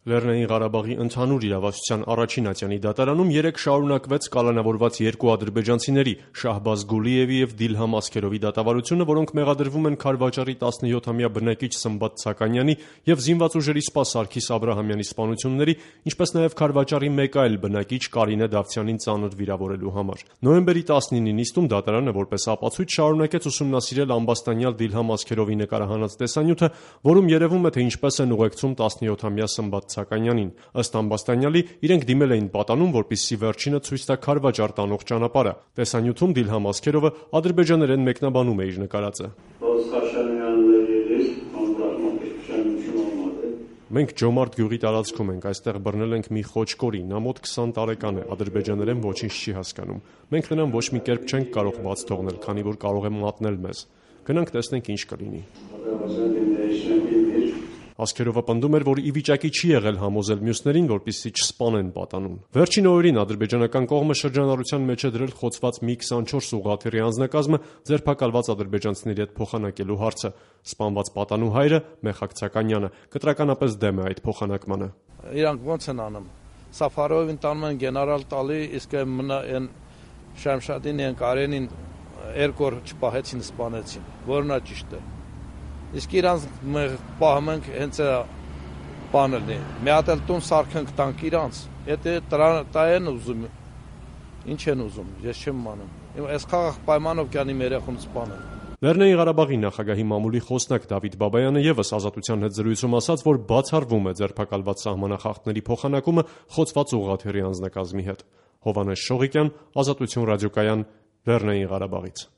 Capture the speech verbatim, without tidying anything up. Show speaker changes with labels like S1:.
S1: Լեռնային Ղարաբաղի ընդհանուր իրավասության առաջին ատյանի դատարանում երեկ շարունակվեց կալանավորված երկու ադրբեջանցիների՝ Շահբազ Գուլիևի և Դիլհամ Ասքերովի դատավարությունը, որոնք մեղադրվում են Քարվաճառի տասնյոթամյա բնակիչ Սմբատ Սականյանի և զինված ուժերի սպա Սարգիս Աբրահամյանի սպանությունների, ինչպես նաև Քարվաճառի մեկ այլ բնակիչ Կարինե Դավթյանին ծանր վիրավորելու համար։ Նոյեմբերի տասնինի նիստում դատարանը որպես ապացույց շարունակեց ուսումնասիրել ամբաստանյալ Դիլհամ Ասքերովի նկարահանած տեսանյութը, որում երևում է, թե ինչպես են ուղեկցում տասնյոթամյա Սմբատ Սականյանին։ Ըստ ամբաստանյալի, իրենք դիմել էին պատանում, որպեսզի վերջինը ցույց տա Քարվաճառ տանող ճանապարհը։ Տեսանյութում Դիլհամ Ասքերովը ադրբեջաներեն մեկնաբանում է իր նկարածը։ Մենք Ջոմարդ գյուղի տարածքում ենք, այստեղ բռնել ենք մի խոճկորի, նա մոտ քսան տարեկան է, ադրբեջաներեն ոչինչ չի հասկանում։ Մենք նրան ոչ մի կերպ չենք կարող բաց թողնել, քանի որ կարող է մատնել մեզ։ Գնանք տեսնենք ինչ կլինի։ Ասքերովը պնդում էր, որ ի վիճակի չի եղել համոզել մյուսներին, որպեսզի չսպանեն պատանուն։ Վերջին օրերին ադրբեջանական կողմը շրջանառության մեջ է դրել խոցված մի քսանչորս ուղղաթիռի անձնակազմը ձերբակալված ադրբեջանցիների հետ փոխանակելու հարցը։ Սպանված պատանու հայրը՝ Մեխակ Ցականյանը, կտրականապես դեմ է այդ փոխանակմանը։
S2: Իրանք ո՞նց են անում։ Սաֆարովին տանում են գեներալ տալի, իսկ այն Շամշադին են Կարենին երկու օր չպահեցին, սպանեցին, որն է ճիշտը։ Իսկ իրանց պահում ենք հենց բանել է։ Մի հատ էլ տուն սարքենք տանք իրանց։ Եթե տա են ուզում, ինչ են ուզում, ես չեմ անում։ Այս խաղաղ պայմանով կանի մեր երեխուն սպանել։
S1: Լեռնային Ղարաբաղի նախագահի մամուլի խոսնակ Դավիթ Բաբայանը ևս Ազատության հետ զրույցում ասաց, որ բացառվում է ձերբակալված սահմանախախտների փոխանակումը խոցված ուղղաթիռի անձնակազմի հետ։ Հովհաննես Շողիկյան, Ազատություն ռադիոկայան, Լեռնային Ղարաբաղից։